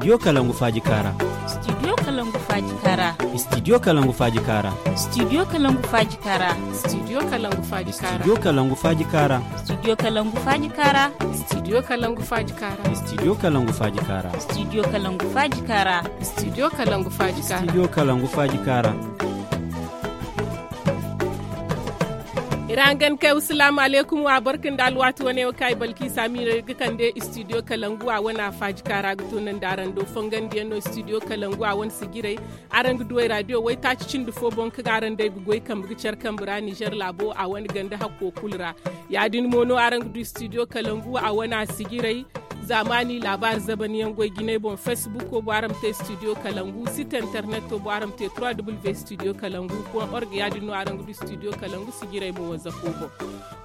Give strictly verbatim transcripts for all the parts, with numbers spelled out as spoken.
Studio Kalangu Faaji Kaara. Studio Kalangu Faaji Kaara. Studio Kalangu Faaji Kaara. Studio Kalangu Faaji Kaara. Studio Kalangu Faaji Kaara. Studio Kalangu Faaji Kaara. Studio Kalangu Faaji Kaara. Studio Kalangu Faaji Kaara. Studio Kalangu Faaji Kaara. Studio Kalangu Faaji Kaara. Studio Kalangu Faaji Kaara. Studio Kalangu Faaji Kaara. Iri hangan kay, salaamu alaykum, wa barka nda alwaati wane wo kaŋ ay balki saamira ga kande studio kalangu a wane a faaji kaara ga tunandi araŋ do fongandiyaŋ no studio kalangu a wane sijiray. Araŋ ga duw'ey raadiyo waytaaci cindi fo boŋ kaŋ araŋ day ga goy kambe ga care kambe ra nizer laabo a wane ganda hakko kulu ra. Ya- din mo no araŋ ga du studio kalangu a wane a sijiray. Zaamaani laabaari zabaniyaŋ goy jinay boŋ facebook wo bo araŋ ma te studio kalangu site internet wo bo araŋ ma te trois w studio kalangu point org ya- din no araŋ ga du studio kalangu sijiray mo wanzako boŋ.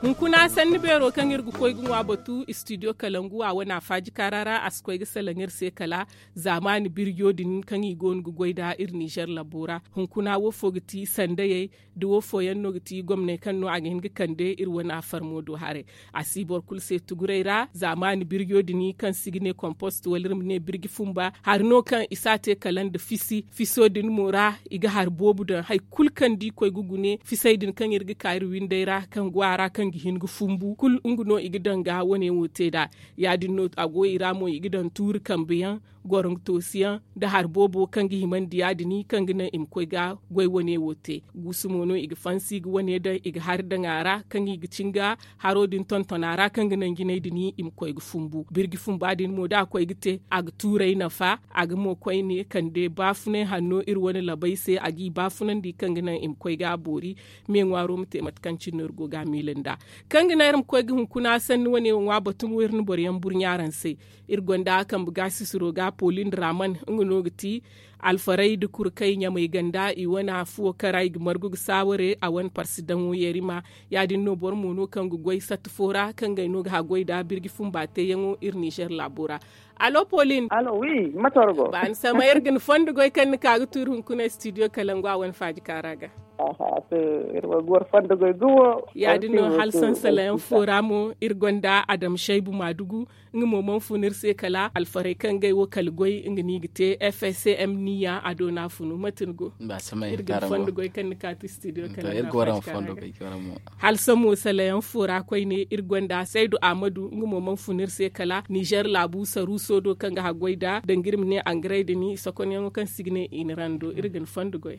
Hunkuna sanni beero kaŋ iri ga koy ga ŋwa batu studio kalangu a wane a faaji kaara ra a si koy ga salaŋ iri se kala zaamaani birjo din kaŋ i go no ga goy nd'a iri nizer labo ra. Hunkuna wo fo ga ti sandayey da wo fooyaŋ no ga ti gomney kaŋ no a ga hin ga kande iri wane afarmo do haray. A si boro kulu se tuguray ra zaamaani birjo din kaŋ si ga ne kompost wala iri ma ne birji fumba hari no kaŋ i si a te kala nda fisi fiso din mo ra. I ga hari boobo daŋ hari kulu kaŋ da i koy ga gune fisey din kaŋ iri ga ka iri winday ra kaŋ go a ra kaŋ ga hin ga fumbu kulu nga no i ga daŋ ga wane wo te nd'a. Ya- din no a go i ra mo i ga daŋ tuuri kambe yaŋ goro nga toosi yaŋ nda hari boobo kaŋ ga himandi ya- din kaŋ ga naŋ i ma koy ga goy wane wo te. Guusu mo no i ga fansi ga wane daŋ i ga hari daŋ a ra kaŋ i ga cin ga haro din tonton a ra kaŋ ga naŋ jinay din i ma koy ga fumbu birji fumba din mo da a koy ga te a ga tuuray nafa. A ga mo koyne kande baafunay hanno iri wane labay se a g'i baafunandi kaŋ ga naŋ i ma koy ga a boori. Me ŋwaaro ma te mate kaŋ cine no iri go ga a miila nd'a kaŋ ga naŋ iri ma koy ga hunkuna sanni wane wo ŋwa batu mo iri na boro yaŋ burɲa araŋ se. Iri gonda kambe ga sisiro ga polin raman nga no ga ti alfaray nda kurkay ɲamay ganda i wane afuwo kaŋ ra i ga margu ga saaware a wane parsi daŋo yarima. Ya- din no boro mo no kaŋ ga goy satta fo ra kaŋ ga ay no ga haggoy nd'a birji fumba teeyaŋo iri nizer laabo ra. Allo polin. Allo wi mate war go? Ba ni samay iri ga ni fondo goy kaŋ ni ka ga tuuri hunkuna studio kalangu a wane faaji kaara ga. Aha to iri wo ga war fondo goy gumo. Ya- din no hala sansalayaŋ fo ra mo iri gonda adam shaybu maadugu. Nga mo mana fun iri se kala alfaray kaŋ ga ay wo kala goy nga no i ga te fcm niya a do no a funu mate ni go? Iri ga ni fondo goy kaŋ ni ka ti studio kalangu a faaji kaara ga. Hala sammo salayaŋ fo ra koyne iri gonda saydu ahmadu nga mo mana fun iri se kala nizer laabu saruuso do kaŋ ga haggoy nd'a danga iri ma ne angaray din sokonyaŋo kaŋ si ga ne i na rando iri ga ni fondo goy.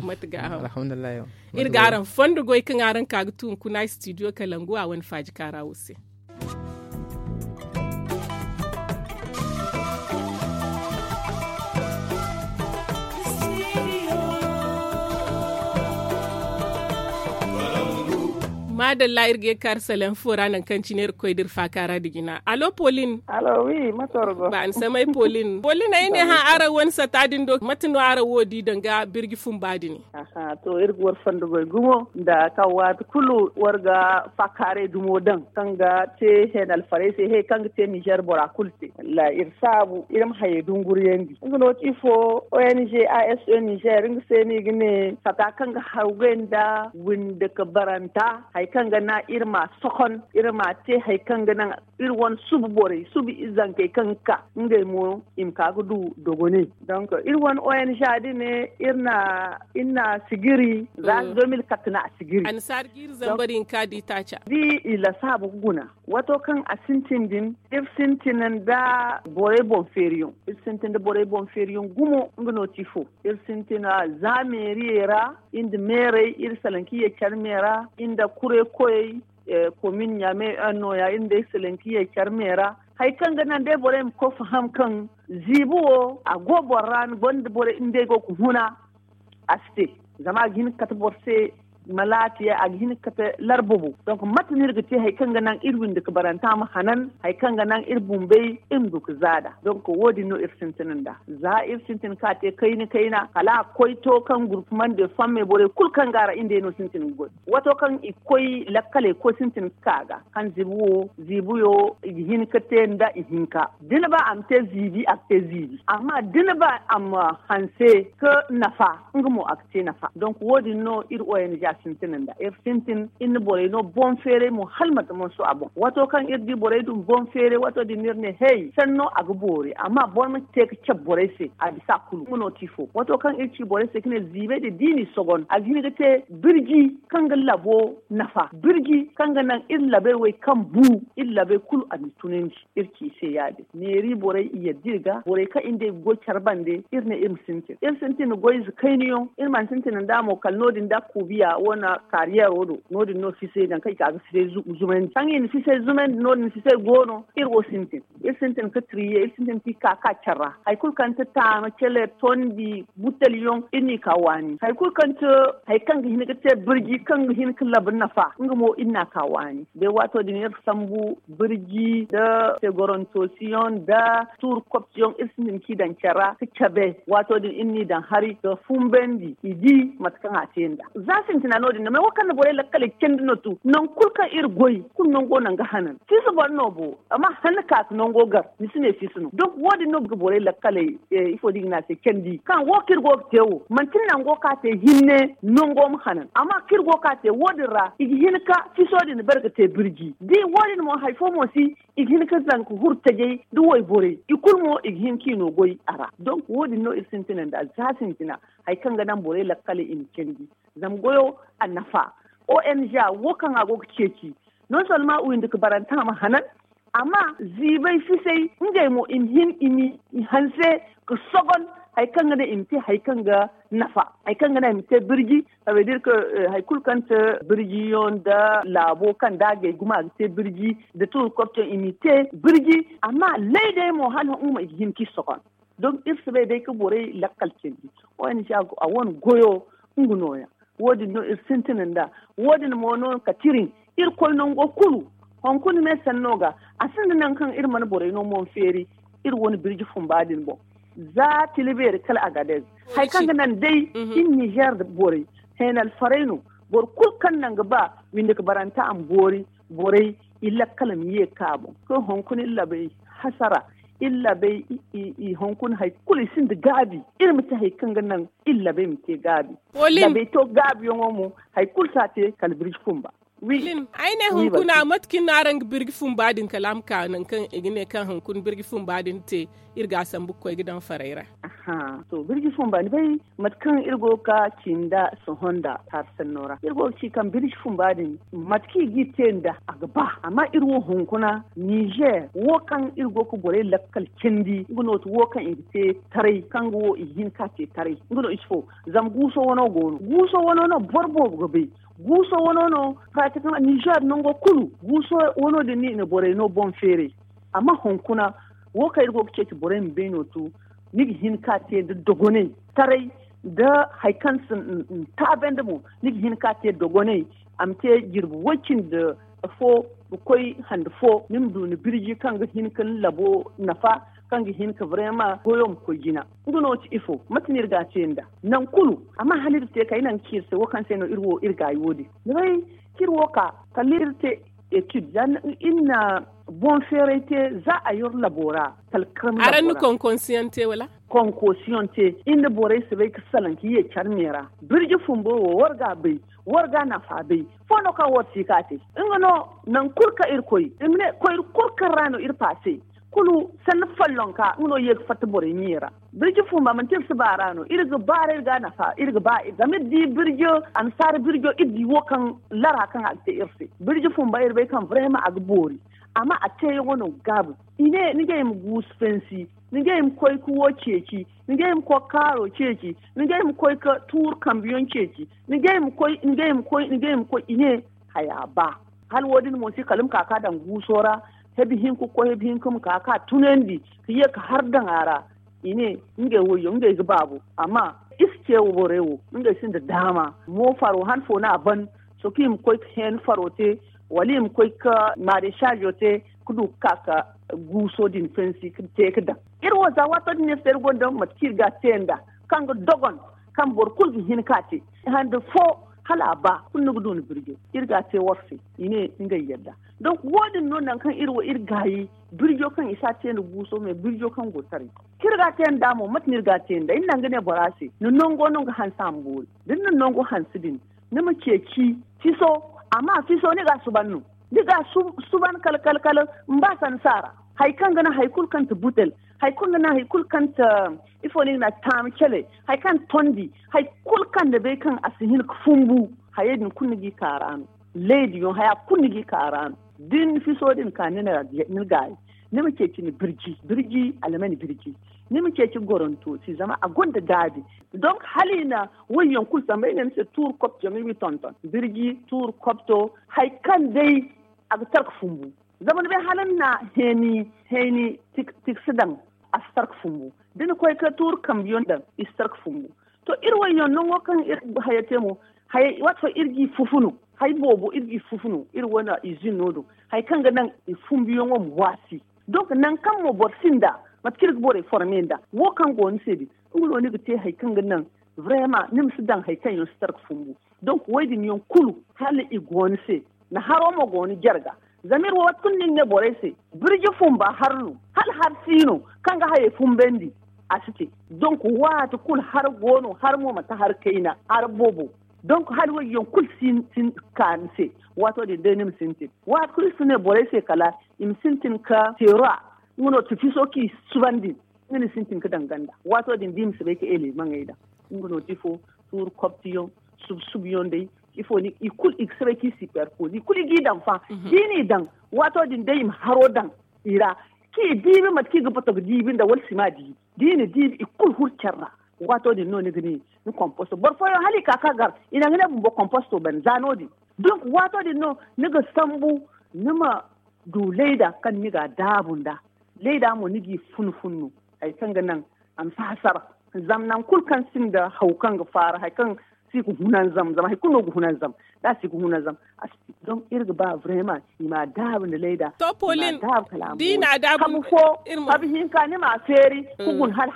Mate ga araŋ fondo goy kaŋ araŋ ka ga tu hunkuna studio kalangu a wane faaji kaara wo se. Maadalla iri ga ye ga kaari salayaŋ fo ra nangu kaŋ cine iri ga koy da iri faaka ra nda jina allo pauline. Ba ni samay pauline pauline ay ne hã araŋ wane sata din do mate no araŋ wo di danga birji fumba din? Aha to iri ga war fondo goy gumo nda kaŋ waati kulu war ga faakaaray dumo daŋ kaŋ ga te heenalfarey se he kaŋ ga te nizer bora kulu se. Wallaahi iri saabu iri ma hayey dunguriyandi nga no ti ifo? Ong aso nizer nga se no i ga ne sata kaŋ ga hawgay nda windi ka baranta hari kaŋ ga naŋ iri ma sohon iri ma te hari kaŋ ga naŋ iri wane suba borey suba izankey kaŋ ga ka ngey mo i ma ka ga du dogoney. Donk iri wane ong din ne iri na sigiri za deux mille quatre no a sigiri. Annasaara ga iri zambar hinka da itaaca da i lasaabu ga guna. Wato kaŋ a sintin din iri sintin nda borey boŋ feeriyaŋ iri sintin nda borey boŋ feeriyaŋ gumo nga no ti fo? Iri sintin za meeriyey ra iri nda meerey iri salaŋ kaŋ i ye care me ra iri nda kurekoyey komin ɲaame un no ya iri nda ay salaŋ kaŋ i ye care me ra. Hari kaŋ ga naŋ day borey ma koy faham kaŋ ziibi wo a go boro ra ni gonda borey ngey go ga huna a si te. Zama a ga hin ga kate boro se malaati a ga hin ga kate larba boŋ. Donk mate no iri ga te hari kaŋ ga naŋ iri windi ga baranta ma hanan hari kaŋ ga naŋ iri bumbey iri ma du ga zaada donk wo- din no iri sintin nd'a. Za iri sintin ka te kayna kayna kala a ga koy to kaŋ gurpumande famme borey kulu kaŋ go a ra iri nd'ey no sintin ga goy. Wato kaŋ i ga koy lakkaley ga koy sintin ga ka ga kaŋ ziibi wo ziibi yo i ga hin ga te nda ihinka da ni ba a ma te ziibi a ga te ziibi amma da ni ba a ma hanse ga nafa nga mo a ga te nafa donk wo- din no iri ong. Sintin nda iri sintin iri na borey no boŋ feeray mo hala mate manso a boŋ. Waato kaŋ iri di borey du boŋ feeray waato din iri ne hey sanno a ga boori amma boro ma te ga cabe borey se a bisa kulu nga no ti fo waato kaŋ iri ci borey se ga ne ziibay din da i n'i sogon a ga hin ga te birji kaŋ ga labo nafa birji kaŋ ga naŋ iri labey wey kaŋ bu iri labey kulu a n'i tunandi. Iri ci i se ya- din neeri borey i yadda iri ga borey kaŋ iri nda iri ga goy care bande iri ne iri ma sintin iri sintin goyze kayna yaŋ iri mana sintin nda mo kala no- din da kuubiya wane kaariyeero do no- din no fisay nangu kaŋ i ka ga fisay zumandi kaŋ i na fisay zumandi no- din fisay go no iri wo sintin iri sintin ga tiriye iri sintin ga i ka ga ka care ra hari kulu kaŋ ti taama cele tondi butel yaŋ iri n'i ka waani hari kulu kaŋ ti hari kaŋ ga hin ga te birji kaŋ ga hin ga labu nafa nga mo iri n'a ka waani day waato din iri sambu birji nda tegorontoosiyoŋ nda tuuri koptiyoŋ iri sintin kaŋ i daŋ care ra ga cabe waato din iri n'i daŋ hari ga fumbandi i di mate kaŋ a te nd'a za sintina no- din no me wo kaŋ na borey lakkaley candi no tu nangu kulu kaŋ iri goy kulu nango naŋ ga hanan fiisa boro no bo amma hanna ka ga nango gar ni si ne fiisa no donk wo- din no ga borey lakkaley ifo da i ga ne a se candi kaŋ wo kaŋ iri go ga te wo manti nango kaŋ a te hinne nango ma hanan amma kaŋ iri go ga ka te wo- din ra i ga hin ga fiiso din bare ga te birji da i wo- din mo hari fo mo si i ga hin ga zanka huru tajay da wayborey i kulu mo i ga hin ga i no goy a ra donk wo- din no iri sintina nda za sintina hari kaŋ ga naŋ borey lakkaley i ma candi zama goyo a nafa ong wo kaŋ a go ga ceeci non solma windi ga baranta ma hanan amma ziibay fisay ngey mo i ma hin i ma hanse ga sogon hari kaŋ ga naŋ i ma te hari kaŋ ga nafa hari kaŋ ga naŋ i ma te birji sabedir ka hari kulu kaŋ te birjiyoŋ nda laabo kaŋ da a gay gumo a ga te birji nda tuuri koptiyoŋ i m'i te birji amma lay day mo hala nga mo i ga hin kaŋ i sogon donk iri si bay day ka borey lakkal cindi ong a wane goyo nga nooya wo- din no iri sintina nda wo- din mo no kate iri irkoy nango kulu hunkuna me sanno ga a sinda nangu kaŋ iri mana borey no mo feeri iri wane birji fumba din boŋ za tila beeri kala agadez hari kaŋ ga naŋ day iri nizer borey heenalfarey no boro kulu kaŋ naŋ ga ba windi ga baranta a ma boori borey i lakkal ma ye ka boŋ kaŋ hunkuna iri labey hasara iri labey hunkuna hari kulu i sinda gaabi iri ma te hari kaŋ ga naŋ iri labey ma te gaabi labey to gaabiyaŋo mo hari kulu si a te kala birji fumba ay ne hunkuna mate kaŋ iri no araŋ ga birji fumba din kala a ma ka nangu kaŋ i ga ne kaŋ hunkuna birji fumba din te iri ga a sambu ga koy ga daŋ farey ra to birji fumba ni bay mate kaŋ iri go ga ci nda sohõ nda hari sanno ra iri go ga ci kaŋ birji fumba din mate kaŋ i g'i te nda a ga ba amma iri wo hunkuna nizer wo kaŋ iri go ga borey lakkal cindi nga no ti wo kaŋ i ga te taray kaŋ ga wo i ga hin ka te taray nga no i si fo zama guuso wano go no guuso wano no boro boobo ga bay guuso wano no pratikama nizer nango kulu guuso wano din no i na borey no boŋ feeray amma hunkuna wo kaŋ iri go ga ceeci borey ma bay no to ni ga hin ka te nda dogonay taray nda hari kaŋ si taabandi mo ni ga hin ka te dogonay a ma te jirbi way-cindi fo ga koy hande fo ni ma du ni birji kaŋ ga hin ka ni labo nafa kaŋ ga hin ka brema goyo ma koy jina nga no ti ifo mate no iri ga a te nda nangu kulu amma hala iri te kay nangu kaŋ iri se wo kaŋ se no iri wo iri gaayi wo- din ni bay kaŋ iri wo ka kala iri te etid za iri na boŋ feeray te za a yor labo ra kala karmi labo ra araŋ na konkonsiyaŋ te wala konkosiyoŋ te iri nda borey si bay ga salaŋ ga ye care me ra birji fumbo wo war ga bay war ga nafa bay fo no kaŋ war si ka te nga no nangu kulu kaŋ iri koy i ma ne koyri kulu kaŋ ra no iri paase kulu sanni follonka nga no ye ga fatta borey ɲiye ra birji fumba manti iri si baara no iri ga baara iri ga nafa iri ga ba zama iri di birjo annasaara birjo iri di wo kaŋ lara kaŋ a ga te iri se birji fumba iri bay kaŋ brema a ga boori amma a teeyaŋo no ga gaabu i ne ni ga ay ma guusu fansi ni ga ay ma koy ga wo ceeci ni ga ay ma koy ga kaaro ceeci ni ga ay ma koy ga tuuru kambeyaŋ ceeci ni ga ay ma koy ni ga ay ma koy ni ga ay ma koy i ne haya ba hala wo- din mo si kala ma ka ga daŋ guuso ra hebi hinka ga koy hebi hinka ma ka ga tunandi ga ye ga har daŋ a ra i ne ngey wayyo ngey ga baabu amma i si ce borey wo ngey sinda daama mo faro han fo no a ban sohõ kaŋ i ma koy ga heen faro te wala i ma koy ga maresaazo te ga du ga ka ga guuso din fansi ga te ga daŋ iri wo za waato din iri se iri gonda mate kaŋ iri ga a te nda kaŋ ga dogon kaŋ boro kulu ga hin ka te hande fo hala a ba kulu ni ga du ni birjo iri ga a te war se i ne ngey yadda donk wo- din no nangu kaŋ iri wo iri gaayi birjo kaŋ i si a te nda guuso me birjo kaŋ go taray kaŋ iri ga a te nda mo mate no iri ga a te nda iri naŋ ga ne bora se ni nango no ga hanse a ma boori da ni na nango hanse din ni ma ceeci fiso. Amma fiso ni ga a suban no, ni ga a suban kala kala kala. Ni ba sansa ra hari kaŋ ga naŋ hari kulu kaŋ ti butel, hari kaŋ ga naŋ hari kulu kaŋ ti ifo no i ga ne a ti taami cele, hari kaŋ tondi, hari kulu kaŋ ni bay kaŋ a si hin ga fumbu, hayey din kulu ni g'i ka ra no. Leydiyaŋ haya kulu ni g'i ka ra no. Da ni fiso din ka ni na gaayi, ni ma ceeci ni birji birji almani birji. Ni ma ceeci goronto se zama a gonda gaabi. Donk hala i na wayyaŋ kulu samba ay ne ni se tuuru kopto yaŋ i ma i tonton birji tuuru kopto. Hari kaŋ day a ga tarka fumbu. Zama ni bay hala ni na heeni heeni tiksi daŋ, a si tarka fumbu. Da ni koy ga tuuru kambiyaŋ daŋ, i si tarka fumbu. To iri wayyaŋ nango kaŋ iri haya te mo, waati fo iri g'i fufu no. Hari boobo iri g'i fufu no iri wane izin no do, hari kaŋ ga naŋ i fumbuyaŋo ma waasi. Donk nangu kaŋ mo boro sinda mate kaŋ iri ga borey forme nda wo kaŋ go ni se din, nga no ni ga te hari kaŋ ga naŋ vrema ni ma si daŋ hari kaŋ yaŋ si tarka fumbu. Donk wo- din yaŋ kulu hala i go ni se. Ni haro mo go ni jarga. Zama iri wo waati kulu no iri ne borey se, birji fumba har no hala har si no kaŋ ga hayey fumbandi. A si te. Donk waati kulu har go no har mo manti har kayna har boobo. Donk hala wo- din yaŋ kulu si ka ni se. Waato din day ni ma sintin waati kulu iri si ne borey se kala i ma sintin ka teera. Nga no ti fiso kaŋ i subandi nga no i sintin ga daŋ ganda. Waato din da i ma si bay ga eleemaŋey daŋ, nga no ti ifo, tuuru koptiyaŋ, subsubuyaŋ day, ifo i kulu i ga si bay kaŋ i siperpozi i kulu i g'i daŋ fa. Da i n'i daŋ, waato din day i ma haro daŋ i ra, kaŋ i diibi mate kaŋ i ga bato ga diibi nda wala sima diibi. Da i na diibi i kulu huru care ra. Waato din no ni ga ne ni komposto boro fooyaŋ hala i ka ka gar i na ga ne bumbo komposto banda za no- din. Donk waato din no ni ga sambu ni ma du layda kaŋ ni ga a daabu nda layda mo ni g'i fun fun no. Hari kaŋ ga naŋ a ma si hasara. Zama nangu kulu kaŋ sinda haw kaŋ ga faara hari kaŋ si ga hunanzam zama hari kulu no ga hunanzam. Da a si ga hunanzam a si te. Donk iri ga ba vrema i ma a daabu nda layda. To polin, da i na a daabu, habu hinka ni ma a feeri ga guna hala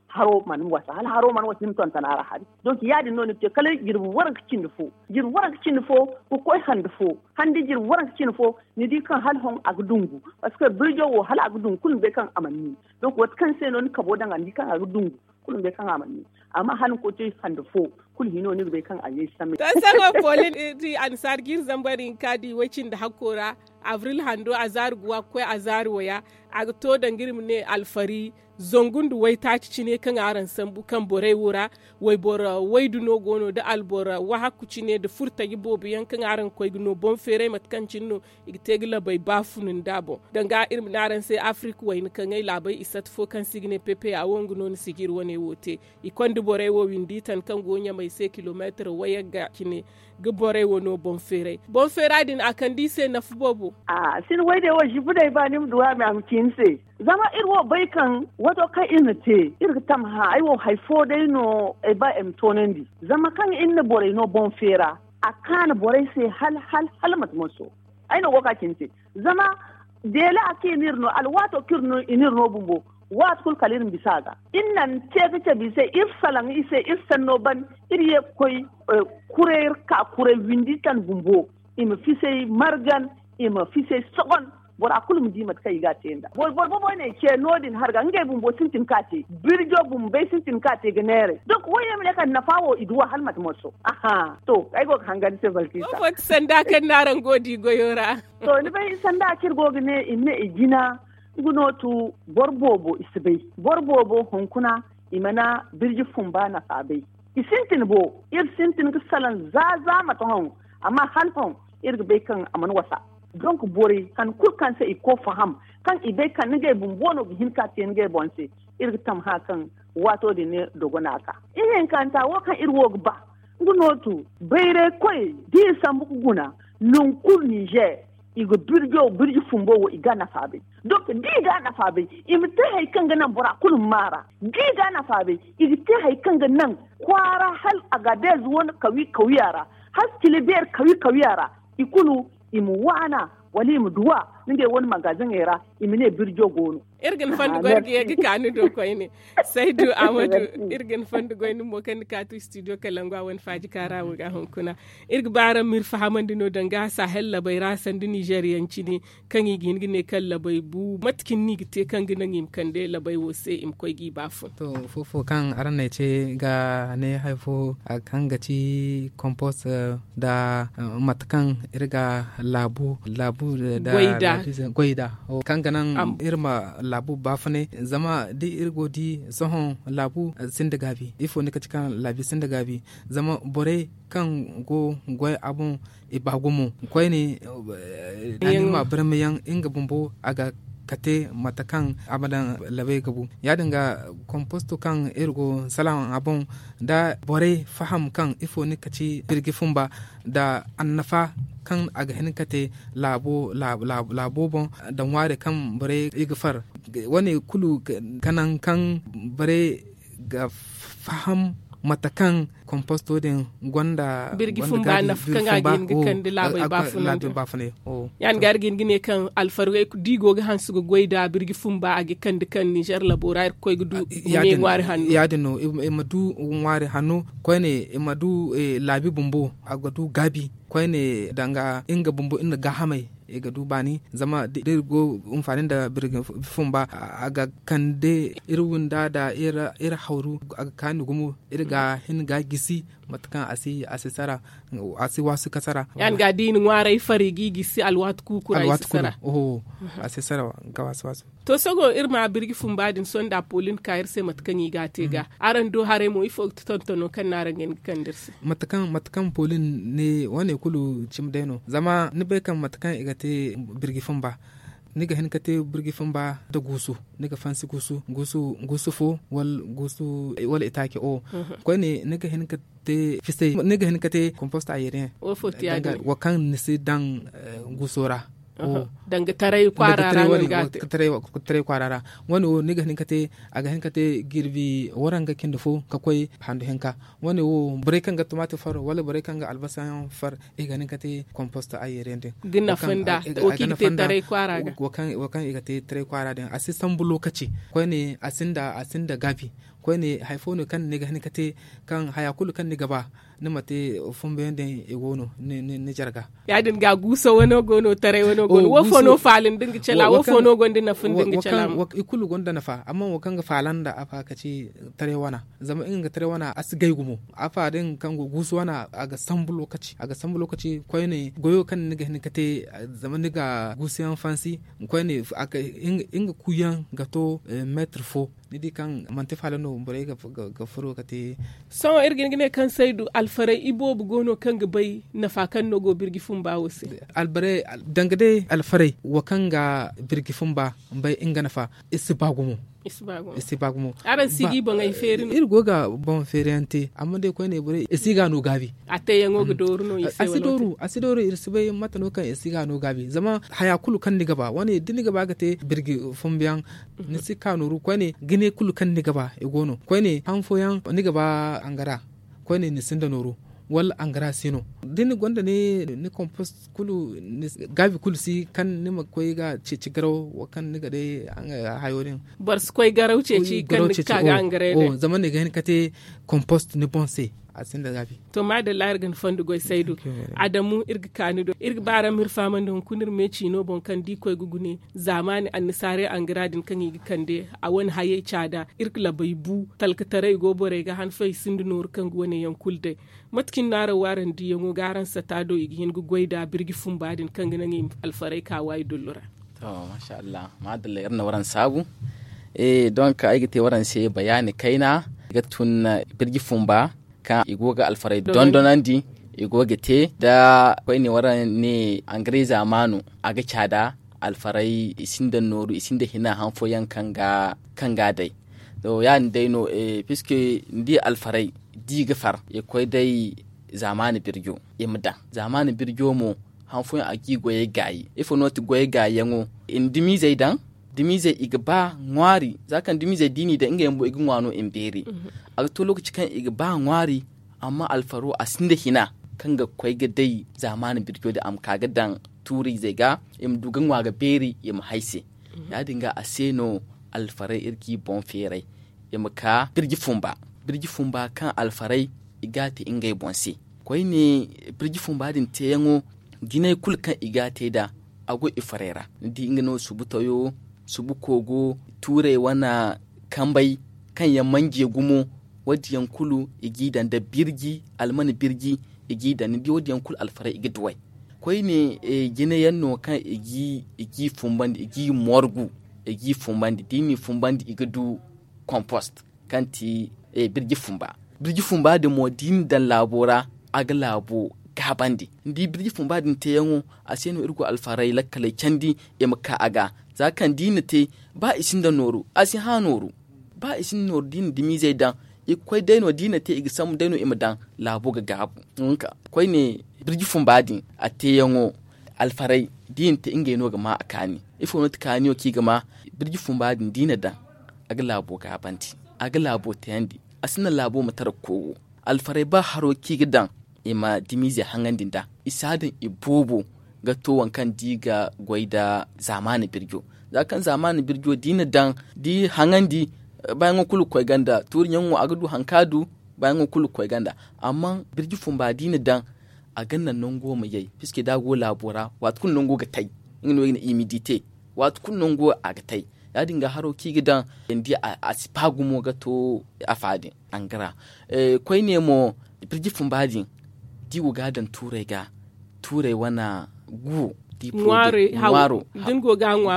haro mana wasa hala haro mana wasa ni ma tonton a ra hari. Donk ya- din no ni ga te kala jirbi waranka cindi fo jirbi waranka cindi fo ga koy handi fo handi jirbi waranka cindi fo. Ni di kaŋ hala hon a ga dungu. Parceque birjo wo hala a ga dungu kulu ni bay kaŋ a mana ni. Donk waati kaŋ se no ni kabo daŋ a ni di kaŋ a ga dungu kulu ni bay kaŋ a mana ni. Amma hala ni koy te handi fo kulu hino ni ga bay kaŋ a yay samay. To sohõ polin iri annasaari ga iri zambar hinka di way- cindi hakko ra. Abril hando a zaari guwa ga koy a zaari waya. A ga to danga iri ma ne alfari zangu nda waytaaci cine kaŋ araŋ sambu kaŋ borey wo ra. Wayboro waydu no go no nda alboro wahakku cine nda furtaji boobo yaŋ kaŋ araŋ ga koy ga no boŋ feeray mate kaŋ cine no i ga te ga labay baafun nda boŋ. Danga iri ma ne araŋ se afirika wayna kaŋ ay laabay i sata fo kaŋ se i ga ne pepe a wo nga no ni si ga iri wane wo te. I konda borey wo windi tan kaŋ go ɲamay se kilomeetir wayagga cine ga borey wo no boŋ feeray boŋ feera din a kande i se nafa boobo. A si ni wayday wo zibu day ba ni ma duwa me a ma ci ni se. Zama iri wo bay kaŋ wato kaŋ iri na te iri ga tamha ay wo hari fo day no ay ba ay ma toonandi. Zama kaŋ iri na borey no boŋ feera a kaanu borey se hala hala hala mate moso. Ay no go ga ka cine te. Zama deela kaŋ i n'iri no alwaato kaŋ i n'iri no bumbo waati kulu kala iri ma bisa a ga. Iri naŋ te ga cabe i se iri salaŋ i se iri sanno ban iri ye ga koy kuray iri ka kuray windi tan bumbo. I ma fisay margan i ma fisay sogon. Bora kulu ma di mate kaŋ i ga a te nd'a boro boobo no ay ce no- din harga ngey bumbo sintin ka te. Birjo bumbey sintin ka te ga neeray donk wo yaŋ ma ne kaŋ nafa wo i duw'a hala mate moso. Aha to ay go ga hangan ni se balkisa. Sanda kaŋ no araŋ go ga di goyo ra. To ni bay sanda kaŋ iri go ga ne i ma ne i jina. Nga no tu boro boobo i si bay. Boro boobo hunkuna i mana birji fumba nafa bay. I sintin bo iri sintin ga salaŋ za za mate hõ. Amma hala hõ iri ga bay kaŋ a mana wasa. Donk borey han kulu kaŋ se i ga koy faham kaŋ i bay kaŋ ni gay bumbo no ga hin ka te ni gay boŋ se. Iri ga tamha kaŋ waato din ne dogona ka ihinkanta wo kaŋ iri wo ga ba. Nga no tu bayray koyey da i sambu ga guna nangu kulu nizer i ga birjo birji fumbo wo i ga nafa bay. Donk da i ga nafa bay i ma te hari kaŋ ga naŋ bora kulu ma maara da i ga nafa bay i ga te hari kaŋ ga naŋ kwaara hala agadez wane kawi kawiya ra hala cilibeer kawi kawiya ra. I kulu i ma waana wala i ma duwa. ni ngey wane magaziŋey ra i ma ne birjo go no. Iri ga ni fondo goy ga ye ga ka ni do koyne. Saydu amadu, iri ga ni fondo goy ni mo kaŋ ni kaati studio kalangu a wane faaji kaara wo ga hunkuna. Iri ga ba araŋ ma iri fahamandi no danga sahel labey ra sanda nizer yaŋ cine, kaŋ i ga hin ga ne kaŋ labey bu mate cine no i ga te kaŋ ga naŋ i ma kande labey wo se i ma koy ga i ba fun. To, fofo kaŋ araŋ na ay ce ga ne hari fo, kaŋ ga ci kompost, nda mate kaŋ iri ga laabu laabu nda goy nda, kaŋ ga naŋ iri ma laabu baafunay. Zama da iri go ga di sohõ, laabu sinda gaabi. Ifo ni ka ci kaŋ laabi sinda gaabi? Zama borey kaŋ go ga goy a boŋ, i ba gumo koyne. Iri ma barmayaŋ nga bumbo a ga kate mate kaŋ a ma daŋ labey ga bu. Ya- din ga komposto kaŋ iri go ga salaŋ a boŋ, da borey faham kaŋ ifo ni ka ci birji fumba, nda annafa kaŋ a ga hin ga te laabo laabo boŋ, nda ŋwaari kaŋ borey i ga far. Wane kulu ga naŋ kaŋ borey ga faham mate kaŋ komposto din gonda birji fumba nafa kaŋ a ga hin ga kande laabey baafunay. Ya- din ga iri ga hin ga ne kaŋ alfarey da i go ga hanse ga goy nda birji fumba a ga kande kaŋ nizer labo ra iri ga koy ga du. Ya- din no i ma du ŋwaari hanno koyne, i ma du laabi bumbo a ga du gaabi koyne, danga nga bumbo iri na gaahamey i ga du baani. Zama da iri go ga hinfaani nda birji fumba, a ga kande iri wunda nda iri hawru a ga kaani gumo. Iri ga hin ga gisi mate kaŋ a si a si sara, a si waasu ga sara. Ya- din ga da i na ŋwaarey far i g'i gisi alwaati kuuku ra i si sara. A si sara ga waasu waasu. To sohõ iri ma birji fumba din sohõ nda poolin ka iri se mate kaŋ i ga a te ga. Araŋ do haray mo ifo ga ti tontono kaŋ no araŋ ga hin ga kande iri se? Mate kaŋ poolin ne wane kulu cimi day no zama ni bay kaŋ mate kaŋ i ga te birji fumba, ni ga hin ga te birji fumba nda guusu. Ni ga fansi guusu guusu fo wala itaaci o. Koyne ni ga hin ga te fisay ni ga hin ga te komposta ayeriyaŋ. Wo kaŋ ni si daŋ guuso ra. Danga taray kwaara ra no ni ga a te. Taray kwaara ra wane wo ni ga hin ga te a ga hin ga te jirbi waranga cindi fo ga koy handu hinka. Wane wo borey kaŋ ga tumaati far wala borey kaŋ ga albasa yaŋ far i ga hin ga te komposta ayeriyaŋ din. Ga nafa nda wo kaŋ i ga te taray kwaara ga. Wo kaŋ i ga te taray kwaara din a si sambu lookaci. Koyne a sinda a sinda gaabi. Koyne hari fo no kaŋ ni ga hin ga te kaŋ haya kulu kaŋ ni ga ba ni ma te fumbeyaŋ din i go no ni jarga. Ya- din ga guuso wano go no taray wano go no wo fo no faala nda nga cala wo fo no gonda nafa nda nga cala? I kulu gonda nafa amma wo kaŋ ga faala nda a fa ka ci taray wana. Zama nga ga taray wana a si gay gumo a fa din kaŋ go guuso wana a ga sambu lookaci a ga sambu lookaci. Koyne goyo kaŋ ni ga hin ga te zama ni ga guusuyaŋ fansi. Koyne nga kuuyaŋ ga to meetir fo. Ni di kaŋ manti faala no borey ga furo ga te. Sohõ iri ga hin ga ne kaŋ saydu alfarey iboobo go no kaŋ ga bay nafa kaŋ no go birji fumba wo se? Danga day alfarey wo kaŋ ga birji fumba bay nga nafa i si ba gumo. I si ba gumo. Araŋ si ga i boŋey feeri no? Iri go ga boŋ feeriyaŋ te amma day koyne borey i si ga no gaabi. A teeyaŋo ga dooru no i se wala? A si dooru iri si bay mate no kaŋ i si ga no gaabi zama haya kulu kaŋ ni ga ba wane da ni ga ba ga te birji fumbiyaŋ ni si ka nooru koyne gine kulu kaŋ ni ga ba i go no koyne han fooyaŋ ni ga ba angara koyne ni sinda nooru wala angara si no. Da ni gonda ni kompost kulu gaabi kulu si kaŋ ni ma koy ga ceeci garaw wo kaŋ ni ga day hayo din. Boro si koy garaw ceeci kaŋ ni ga ka ga angara day zama ni ga hin ga te kompost ni boŋ se. A sinda gaabi. To maadalla iri ga ni fondo goy saydu. Adamu iri ga ka ni do iri ga ba araŋ ma iri fahamandi hunkuna iri me ciino boŋ kaŋ da i koy ga gune zaamaani annasaarey angara din kaŋ i ga kande a wane hayey caada iri ga labey bu talkataray go borey ga hanfey sinda nooru kaŋ ga wane yaŋ kulu day. Mate cine no araŋ wo araŋ diiyaŋo ga araŋ sata do i ga hin ga goy nd'a birji fumba din kaŋ ga naŋ i ma alfarey ka waayi dullu ra? To maasa allah maadalla iri na waraŋ saabu. Donk ay ga te waraŋ se bayaani kayna ga tun birji fumba kaŋ i go ga alfarey dondonandi i go ga te da koyne waraŋ ne angare zaamaano a ga caada alfarey i sinda nooru i sinda hina han fooyaŋ kaŋ ga day. To ya- din day no puisque ni di alfarey da i ga far i ga koy day zaamaani birjo i ma daŋ zaamaani birjo mo han fooyaŋ a ga i goyey gaayi ifo no ti goyey gaayiyaŋo i na dumizey daŋ dumizey i ga ba ŋwaari za kaŋ dumizey da i n'i daŋ ngey bumbo i ga ŋwa no i ma beeri. A ga to lookaci kaŋ i ga ba ŋwaari amma alfaro a sinda hina kaŋ ga koy ga day zaamaani birjo din a ma ka ga daŋ tuuriizey ga, i ma du ga ŋwa ga beeri, i ma hay se. Ya- din ga a se no alfaray iri ga i boŋ feeray, i ma ka birji fumba birji fumba kaŋ alfaray i ga a te ngey boŋ se. Koyne, birji fumba din teeyaŋo, jinay kulu kaŋ i ga a te nd'a, a go i farey ra. Ni di nga no subu tayo, subu koogo, tuurey wane kambey, kaŋ yaŋ manje gumo. Wo- din yaŋ kulu i g'i daŋ nda birji, almana birji, i g'i daŋ. Ni di wo- din yaŋ kulu alfaray i ga duw'ey. Koyne, jinay yaŋ no kaŋ i g'i fumbandi, i g'i morgu, i g'i fumbandi da i n'i fumbandi i ga du kompost, kaŋ ti birji fumba. Birji fumba din mo da i na daŋ laabo ra, a ga laabo gaabandi. Ni di birji fumba din teeyaŋo, a se no iri go alfaray lakkaley candi, i ma ka a ga. Za kaŋ da i na te, ba i sinda nooru, a si hã nooru. Ba i sinda nooru da i na dimiizey daŋ, i ga koy day no da i na te, i ga sambu day no i ma daŋ, laabo ga gaabu. Koyne, birji fumba din a teeyaŋo, alfaray da i na te, ngey no ga ma a kaani. Ifo no ti kaaniyo kaŋ i ga ma? Birji fumba din da i na daŋ, a ga laabo gaabandi, a ga laabo tayandi. A si naŋ laabo ma tara ga koy wo. Alfaray ba haro kaŋ i ga daŋ, i ma dimiize haŋandi nd'a. I si a daŋ i boobo ga to waŋ kaŋ da i ga goy nda zaamaani birjo. Za kaŋ zaamaani birjo da i na daŋ, da i haŋandi, baayaŋo kulu ga koy ganda tuuri ɲaŋo, a ga du haŋ kaŋ a du. Baayaŋo kulu ga koy ganda. Amma birji fumba da i na daŋ, a ga naŋ nango ma yay, piske da a go laabo ra, waati kulu nango ga tay. Nga no i ga ne imidite. Waati kulu nango a ga tay. Ya- din ga haro kaŋ i ga daŋ, ni di a si ba gumo ga to afa din, angara. Koyne mo, birji fumba din, da i go ga a daŋ tuurey ga, tuurey wane guwo, da i ŋwaaro, da ni go ga a ŋwa,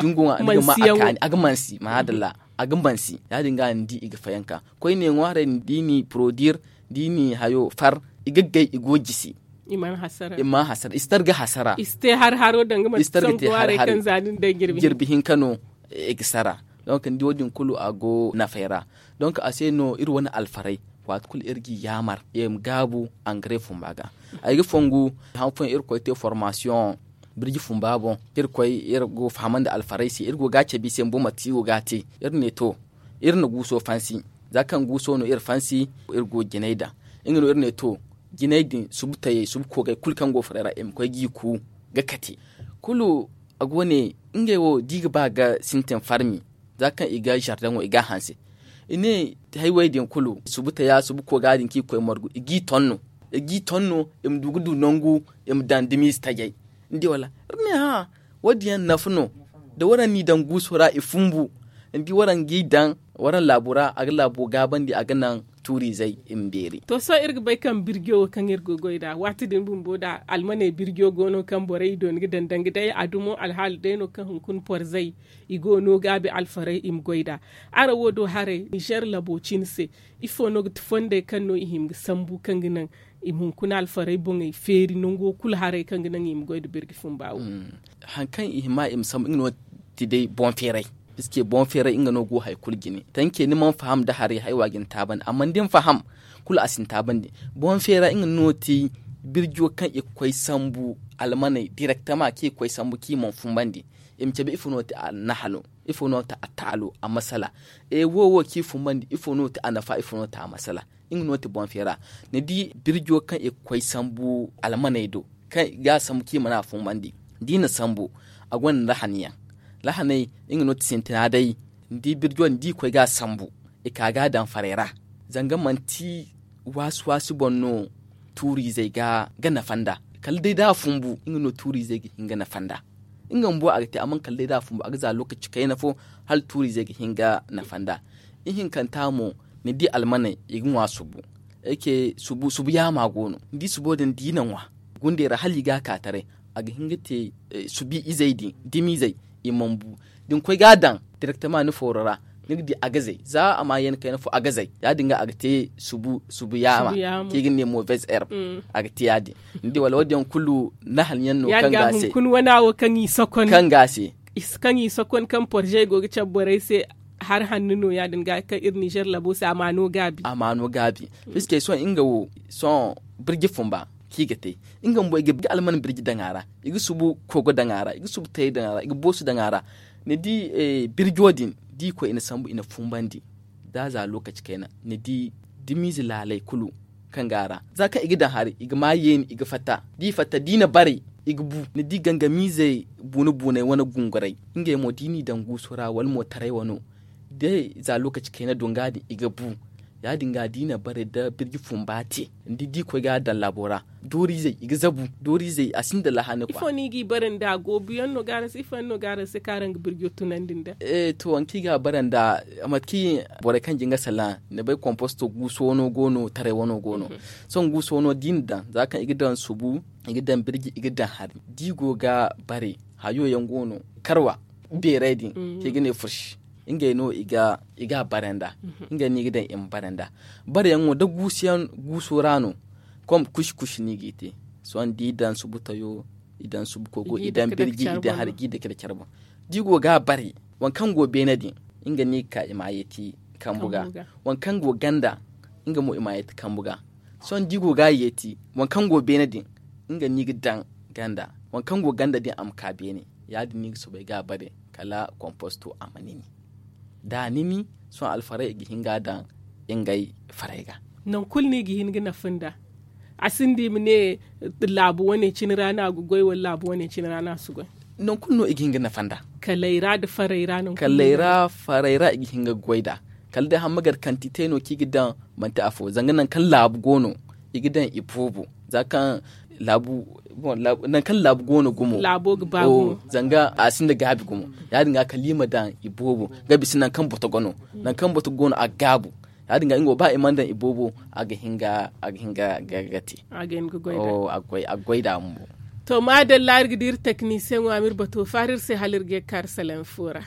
a ga mansi, maadalla, a ga mansi. Ya- din ga ni di i ga fayanka. Koyne ŋwaarey din, da i n'i porodir, da i n'i hayo far, i ga gay, i go jisi. I mana hasara, i si targa hasara. I si te har haro danga manti sangu haray kaŋ za din day jirbi hinka no i ga sara. Donk ni di wo- din kulu a go nafay ra. Donk a se no iri wane alfaray, waati kulu iri g'i yaamar i ma gaabu angare fumba ga. Ay ga fongu, han fooyaŋ iri koy te formasiyoŋ birji fumba boŋ, iri koy, iri go fahamandi alfaray se, iri go ga a cabe i se bumbo mate kaŋ i go ga a te. Iri ne to, iri na guuso fansi. Za kaŋ guuso no iri fansi, iri go jinay daŋ. Nga no iri ne to, jinay din, subu tayey, subu koogey kulu kaŋ go faray ra, i ma koy g'i ku ga kate. Kulu a go ne, ngey wo da i ga ba ga sintin farmi, za kaŋ i ga zardaŋo i ga a hanse. I ne, haywey din kulu, subu taya, subu kooga din kaŋ i ga koy margu, i g'i ton no. I g'i ton no, i ma du ga du nangu, i ma daŋ dimiize tajay. Ni di wala? Iri ne, hã, wo- din yaŋ nafa no. Da waraŋ n'i daŋ guuso ra, i fumbu. Ni di, waraŋ g'i daŋ waraŋ laabo ra, a ga laabo gaabandi, a ga naŋ tuuriizey i ma beeri. To, sohõ iri ga bay kaŋ birjo wo kaŋ iri go ga goy nd'a, waati din bumbo da almaney birjo go no kaŋ borey i dooni ga daŋ danga day a dumo alhaali day no kaŋ hunkuna porzey i go no gaabi alfaray i ma goy nd'a. Araŋ wo do haray, nizer labo cine se, ifo no ga ti fondey kaŋ no i hima ga sambu kaŋ ga naŋ i ma hunkuna alfaray boŋey feeri nango kulu haray kaŋ ga naŋ i ma goy nda birji fumba wo? Haŋ kaŋ i hima i ma sambu, nga no ti day boŋ feeray. Piske boŋ feeray, nga no go hari kulu jine. Tanke, ni mana faham nda haray, haywa ga ni taabandi, amma da ni faham, kulu a si ni taabandi. Boŋ feeray, nga no ti birjo kaŋ i ga koy sambu almaney direktama, kaŋ i ga koy sambu kaŋ i mana fumbandi. I ma cabe ifo no ti a nahalo, ifo no ti a taalo, a masala. E, wo wo kaŋ i fumbandi, ifo no ti a nafa, ifo no ti a masala. Nga no ti boŋ feera. Ni di birjo kaŋ i ga koy sambu almaney do, kaŋ i ga a sambu kaŋ i mana a fumbandi. Da i na sambu, a gonda lahaniyaŋ. Lahaney, nga no ti sintina day. Ni di birjo din, da i koy ga a sambu, i ka ga a daŋ farey ra. Zanga manti waasi-waasi boŋ no tuuriizey ga nafa nd'a. Kala day da a fumbu, nga no tuuriizey ga hin ga nafa nd'a. Nga bumbo a ga te, amma kala day da a fumbu, a ga za lokaci kayna fo, hala tuuriizey ga hin ga nafa nd'a. Ihinkanta mo, ni di almaney, i ga ŋwa subu. Ay ce subu, subu yaama go no. Ni di subo din, da i na ŋwa gundey ra, hala i ga a ka taray, a ga hin ga te subi izey din, dimiizey, i mana bu. Da ni koy ga a daŋ direktama ni fooro ra, ni ga di a ga zay. Za a ma yeeni kayna fo, a ga zay. Ya-din ga a ga te subu, subu yaama, kaŋ i ga ne mauvaise herbe. A ga te ya-din. Ni di wala? Wo-din yaŋ kulu nahanyaŋ no kaŋ ga a se, kaŋ ga a se, kaŋ i sokon, kaŋ porzey go ga cabe borey se. Hari hanno no ya-din ga kaŋ iri nizer labo se, a ma no gaabi. A ma no gaabi. Piske sohõ nga wo, sohõ birji fumba kaŋ i ga te, nga bumbo i ga alman birji daŋ a ra, i ga subu kogo daŋ a ra, i ga subu tayey daŋ a ra, i ga boosu daŋ a ra. Ni di birjo din, da i koy i na sambu, i na fumbandi, da a za lokaci kayna, ni di dimiize laaley kulu kaŋ go a ra, za kaŋ i ga daŋ hari, i ga ma yeeni, i ga fatta. Da i fatta, da i na baray, i ga bu. Ni di gangamiizey buuna buunay wane gunguray, ngey mo da i n'i daŋ guuso ra wala mo taray wano, day za lookaci kayna do nga din i ga bu. Ya- din ga da i na bare nda birji fumba te, ni di da i koy ga a daŋ laabo ra, dooriizey i ga zabu. Dooriizey a sinda laha ni kwa. Ifo no i g'i bare nda goobu yaŋ no ga araŋ se ifo yaŋ no ga araŋ se kaŋ araŋ ga birjo tunandi nda? To waŋ kaŋ i ga a bare nda, mate kaŋ borey kaŋ jin ga salaŋ, ni bay komposto guuso wano go no taray wano go no. Sohõ guuso wano da i na daŋ za kaŋ i ga daŋ subu, i ga daŋ birji i ga daŋ hari da i go ga bare, hayo yaŋ go no karwa beeray din kaŋ i ga ne fursi. Ngey no i ga a bare nda. Ngey no i ga daŋ i ma bare nda. Bare yaŋ wo da guusu yaŋ guuso ra no. Kom kusi kusi no i g'i te. Sohõ da i daŋ subu tayo, i daŋ subu kogo, i daŋ birji, i daŋ hari ga i dake nda care boŋ. Da i go ga a bare, waŋ kaŋ go beene din, nga no i ga ka i ma a yeeti kambu ga. Waŋ kaŋ go ganda, nga mo i ma a yeeti kambu ga. Sohõ da i go ga a yeeti, waŋ kaŋ go beene din, nga no i ga daŋ ganda. Waŋ kaŋ go ganda din a ma ka beene. Ya- din no i ga soobay ga a bare kala komposto a ma nini. Da a nini, sohõ alfarey i ga hin ga a daŋ ngey farey ga. Nangu kulu no i ga hin ga nafa nda? A sinda i ma ne laabu wane cine ra no a ga goy wala laabu wane cine ra no a si goy? Nangu kulu no i ga hin ga nafa nda. Kalay ra nda farey ra nangu kulu no i ga hin ga goy nda. Kala day hamma gar kantite no kaŋ i ga daŋ, manti afo zanga nangu kaŋ laabu go no, i ga daŋ i boobo. Za kaŋ laabu, nangu kaŋ laabu go no gumo, zanga a sinda gaabi gumo. Ya- din ga kala i ma daŋ i boobo ga bisa nangu kaŋ boto go no. Nangu kaŋ boto go no a ga gaabu. Ya- din ga nga wo ba i mana daŋ i boobo, a ga hin ga a ga hin ga ga te. A ga hin ga goy nda a ma bo. To maadalla iri ga di iri teknisiyeŋo a ma iri bato faara iri se hala iri ga ye ga kaari salaŋ fo ra.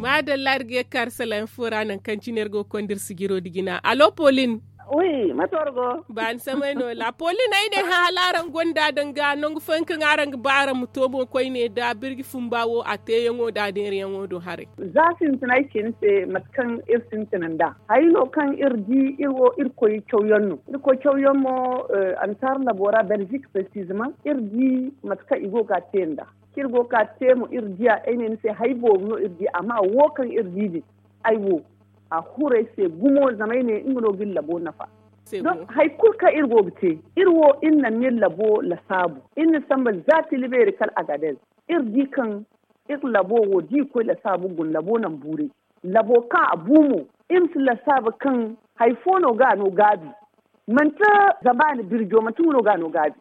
Maadalla iri ga ye ga kaari salaŋ fo ra nangu kaŋ cine iri go ga konda iri sijiro nda jina allo pauline. Wi mate war go? Baani samay no la pauline ay ne hã hala araŋ gonda danga nangu fooyaŋ kaŋ araŋ ga ba araŋ ma to mo koyne nda birji fumba wo a teeyaŋo nda a deerayaŋo do haray. Za sintinay cine se mate kaŋ iri sintina nd'a hari no kaŋ iri di iri wo irkoy cawyaŋ no. Irkoy cawyaŋ mo ansaara labo ra belgique presizeman iri di mate kaŋ i go ga a te nd'a. Kaŋ iri go ga a te mo iri diya ay ne ni se hari boobo no iri di amma wo kaŋ iri di din ay wo a huru ay se gumo zama ay ne nga no ga iri labo nafa. Hari kulu kaŋ iri go ga te iri wo iri naŋ no iri labo lasaabu iri na samba za tila beeri kala agadez. Iri di kaŋ iri labo wo da i koy lasaabu guna labo naŋ buuray. Labo kaŋ a bu mo iri ma si lasaabu kaŋ hari fo no ga a no gaabi. Manti zabaani birjo manti nga no ga a no gaabi.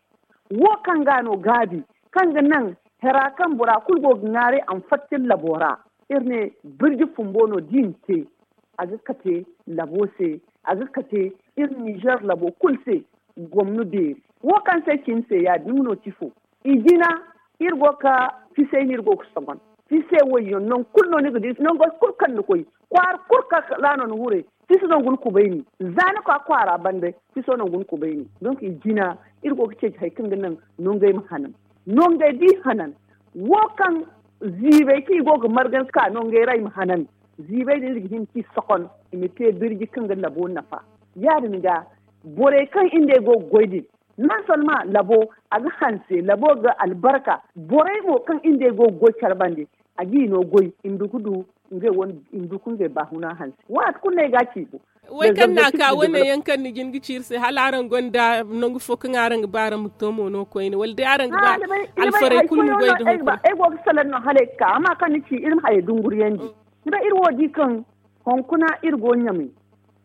Wo kaŋ ga a no gaabi kaŋ ga naŋ hera kaŋ bora kulu go ga ŋwaaray a ma fatta iri labo ra. Iri ne birji fumbo no da i na te a ga kate labo se a ga kate iri nizer labo kulu se. Gomno beeri wo kaŋ se cine se ya- din nga no ti fo. I jina iri go ga fisay no iri go ga sogon. Fisay wayyaŋ nangu kulu no ni ga di nango kulu kaŋ ni koy kwaara kulu kaŋ ra no ni huray. Fiso nangu ni kubay ni za ni ka kwaara banda. Fiso nangu ni kubay ni donk i jina iri go ga ceeci hari kaŋ ga naŋ nongey ma hanan. Nongey da i hanan wo kaŋ ziibay kaŋ i go ga margan ka nongey ra i ma hanan. Ziibay din iri ga hin ka i sokon i ma te birji kaŋ ga labo nafa. Ya- din ga borey kaŋ iri nd'ey go ga goy din non solma labo a ga hanse labo ga albarka. Borey mo kaŋ iri nd'ey go ga goy care bande a ga i no goy i ma du ga du ngey wane i ma du ga ngey baahuna hanse waati kulu no ay ga a ci i boŋ. Way kaŋ no a ka wane yaŋ kaŋ ni jin ga ci iri se hala araŋ gonda nangu fo kaŋ araŋ ga ba araŋ ma to mo no koyne wala day araŋ ga ba alfarey kulu ma goy da hunkuna? Ay go ga salaŋ no hala ay ga ka amma kaŋ ni ci iri ma hayey dunguriyandi. Ni bay iri wo di kaŋ hunkuna iri go ɲamay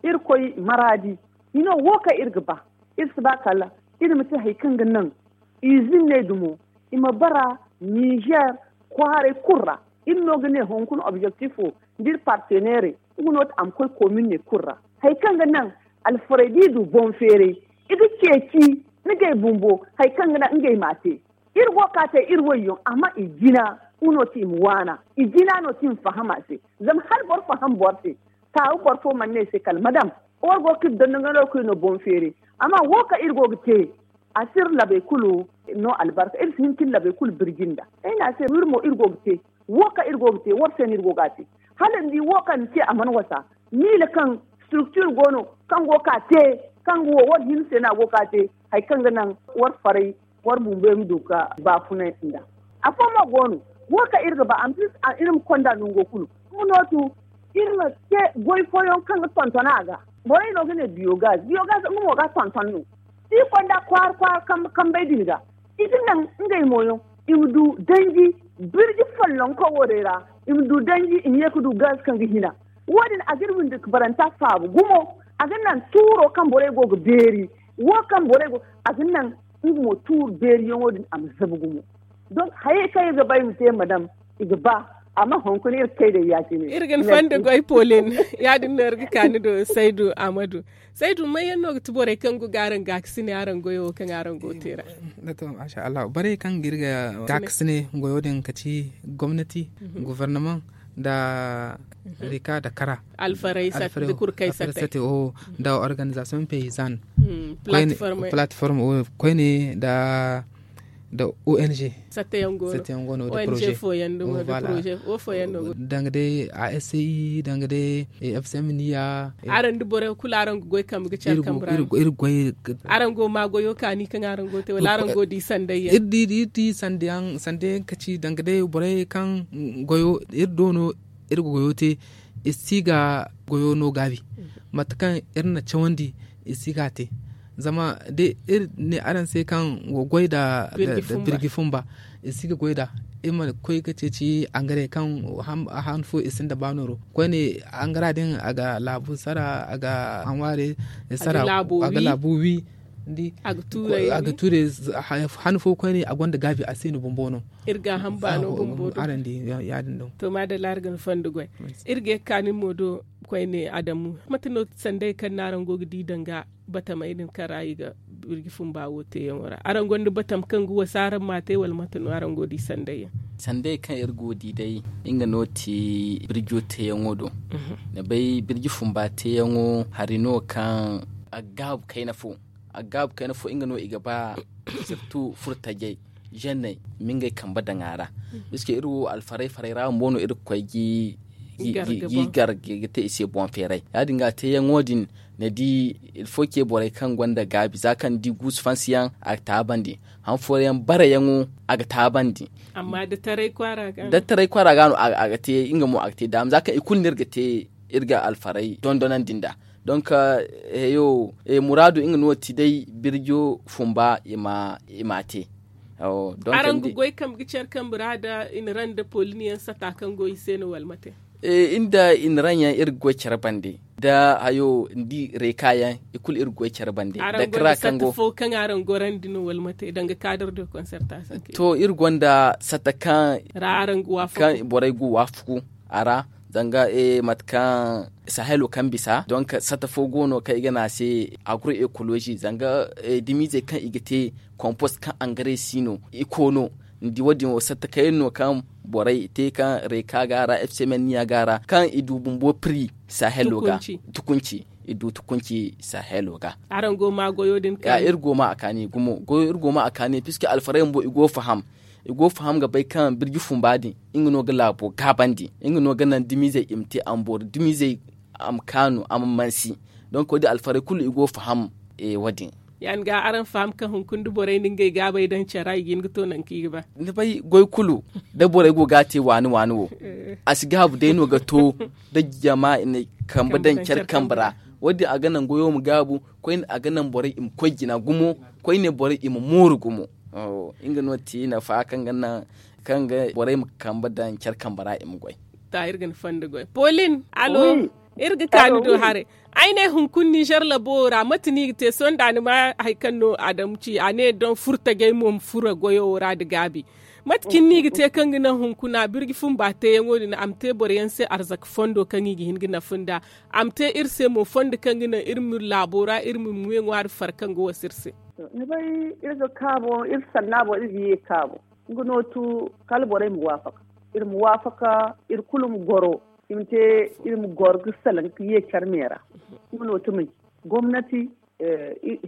iri koy maraadi. Ni no wo kaŋ iri ga ba iri si ba kala iri ma te hari kaŋ ga naŋ izinney dumo i ma bara nizer kwaaray kulu ra. Iri no ga ne hunkuna objektifo nda iri parteneerey nga no ti a ma koy kominne kulu ra. Hari kaŋ ga naŋ alfarey da i du boŋ feeray i ga ceeci ngey bumbo hari kaŋ ga naŋ ngey m'a te. Iri go ga ka te iri wayyaŋ amma i jina nga no ti i ma waana. I jina no ti i ma faham a se zama hala boro faham boro se. Taaru boro fo mana ne ay se kala madam war go ga iri dondon ganda war ga koy no boŋ feeray. Amma wo kaŋ iri go ga te a si iri labey kulu no albarka iri si hin ka iri labey kulu birji nda. Ay ne a se iri mo iri go ga te wo kaŋ iri go ga te war se no iri go ga a te. Hala ni di wo kaŋ ni te a mana wasa miila kaŋ structure go no kaŋ go ga ka te kaŋ ga wo war hinne se no a go ga ka te hari kaŋ ga naŋ war faray war bumbo yaŋ ma du ga baafunay nda. Afo mo go no Wo kaŋ iri ga ba a ma si iri ma konda nango kulu. Nga no tu iri ma te goy fooyaŋ kaŋ ga tonton a ga. Borey no ga ne biyogaz biyogaz nga mo ga tonton no. Da i konda kwaara kwaara kambey din ga i ga naŋ ngey mooyaŋ i ma du danji birji follonko wo day ra. I ma du danji i ma ye ga du gaz kaŋ ga hina. Wo- din a ga iri windi ga baranta faabu gumo. A ga naŋ tuuro kaŋ borey go ga beeri wo kaŋ borey go a ga naŋ nga mo tuuru beeriyaŋo din a ma zabu gumo. Donk hayey kaŋ iri ga ba iri ma te madam i ga ba. Amma hunkuna iri ga kay day ya- cine iri ga ni fanda goy polin. Ya- din no iri ga ka ni do saydu amadu. Saydu may yaŋ no ga ti borey kaŋ go ga araŋ gaakasine araŋ goyo wo kaŋ araŋ go ga te ra? Borey kaŋ ga iri ga gaakasine goyo din ka ci gomnati, gofornamaŋ, nda rika nda kara, alfarey sate, nda organizasiyoŋ peyizan, platform wo koyne nda ong. Satta yaŋ go no de poroze. Danga day a sci danga day fcm niya. Araŋ da borey kulu araŋ ga goy kambe ga care kambe ra. Araŋ go ma goyo kaani kaŋ araŋ go ga te wala araŋ go ga di sanday yaŋ? Iri di iri di sanday yaŋ sanday yaŋ ga ci danga day borey kaŋ goyo iri do no. Iri ga goyo te iri si ga goyo no gaabi. Mate kaŋ iri na cawandi iri si ga a te. Zama da iri ne araŋ se kaŋ go goy nda birji fumba iri si ga goy nd'a. Iri ma koy ga ceeci angare kaŋ han fo iri sinda ba nooro koyne. Angara din a ga laabu sara a ga hanwaare sara a ga laabu wi. A ga tuuray han fo koyne a gonda gaabi a si no bumbo no. Iri ga hamba no bumbo do. Araŋ di ya- din do. To maadalla iri ga ni fondo goy. Iri ga ye ga ka nin mo do koyne adamu mate no sanday kaŋ no araŋ go ga di danga batamey din kaŋ ra i ga birji fumba wo teeyaŋo ra araŋ gonda batam kaŋ ga wasa araŋ ma a te wala mate no araŋ go ga di sanday yaŋ? Sanday kaŋ iri go ga di day nga no ti birjo teeyaŋo do. Ni bay birji fumba teeyaŋo hari no kaŋ a ga gaabu kayna fo. A ga gaabu kayna fo nga no i ga ba sirtu furtajey zenney ma ngey kambe daŋ a ra. Biske iri wo alfaray faray ra bumbo no iri ga koy ga i gar ga te i se boŋ feeray ya- din ga teeyaŋo din. Ni di ilfo ce borey kaŋ gonda gaabi za kaŋ ni di guusu fansi yaŋ a ga taabandi. Han fooyaŋ bare yaŋo a ga taabandi. Amma da taray kwaara ga no a ga te nga mo a ga te daama za kaŋ i kulu no iri ga te iri ga alfaray dondonandi nd'a. Donk heyo muraadu nga no ti day birjo fumba i ma te. Araŋ ga goy kambe ga care kambe ra da i na raŋ da poliniyaŋ sata kaŋ go i se no wala mate? Inda i na raŋ yaŋ iri ga goy care bande da hayo ni di reeka yaŋ i kulu iri ga goy care bande da kara kaŋ go. Fo kaŋ araŋ gorandi no wala mate danga kaadar de konserta sanke to iri gonda sata kaŋ ra araŋ ga waafaku borey ga waafaku a ra. Zanga mate kaŋ sahelo kaŋ bisa donk sata fo go no kaŋ i ga ne a se agro ekolozi zanga dimiizey kaŋ i ga te kompost kaŋ angare si no i koono. Ni di wo- din wo satta kaŋ yaŋ no kaŋ borey te kaŋ reeka ga a ra fcmn niya ga a ra kaŋ i du bumbo pri sahelo ga tukunci i du tukunci sahelo ga. Araŋ go ma goyo din kaani iri go ma a kaani gumo goyo iri go ma a kaani puisque alfaray bumbo i go faham i go faham ga bay kaŋ birji fumba din nga no ga laabo gaabandi nga no ga naŋ dumizey i ma te a ma boori dumizey a ma kaanu a ma mansi. Donk wo- din alfaray kulu i go faham wo- din. Ya- din ga araŋ faham kaŋ hunkuna da borey na ngey gaabey daŋ care ra i ga hin ga to nangu kaŋ i ga ba. Ni bay goy kulu da borey go ga a te waani waani wo a si gaabu day no ga to da jama i na kambe daŋ care kambe ra. Wo- din a ga naŋ goyo ma gaabu koyne a ga naŋ borey i ma koy jina gumo koyne borey i ma mooru gumo. Nga no ti nafa kaŋ ga naŋ kaŋ ga borey ma kambe daŋ care kambe ra i ma goy. Ta iri ga ni fondo goy polin alo iri ga ka ni do haray. Ay ne hunkuna nizer labo wo ra mate no i ga te sohõ da ni ma hari kaŋ no adamu ci a ne don furtajey mo ma furo goyo wo ra nda gaabi. Mate cine no i ga te kaŋ ga naŋ hunkuna birji fumba teeyaŋo din a ma te boro yaŋ se arzaka fondo kaŋ i ga hin ga nafa nd'a. A ma te iri se mo fondo kaŋ ga naŋ iri ma laabo ra iri ma ŋwe ŋwaari far kaŋ ga wasa iri se. Ni bay iri ga kaabo iri sanna boŋ iri ga ye kaabo. Nga no tu kala borey ma waafaka iri ma waafaka iri kulu ma goro i ma te iri ma goro ga salaŋ ga ye care me ra. Nga no tu manci gomnati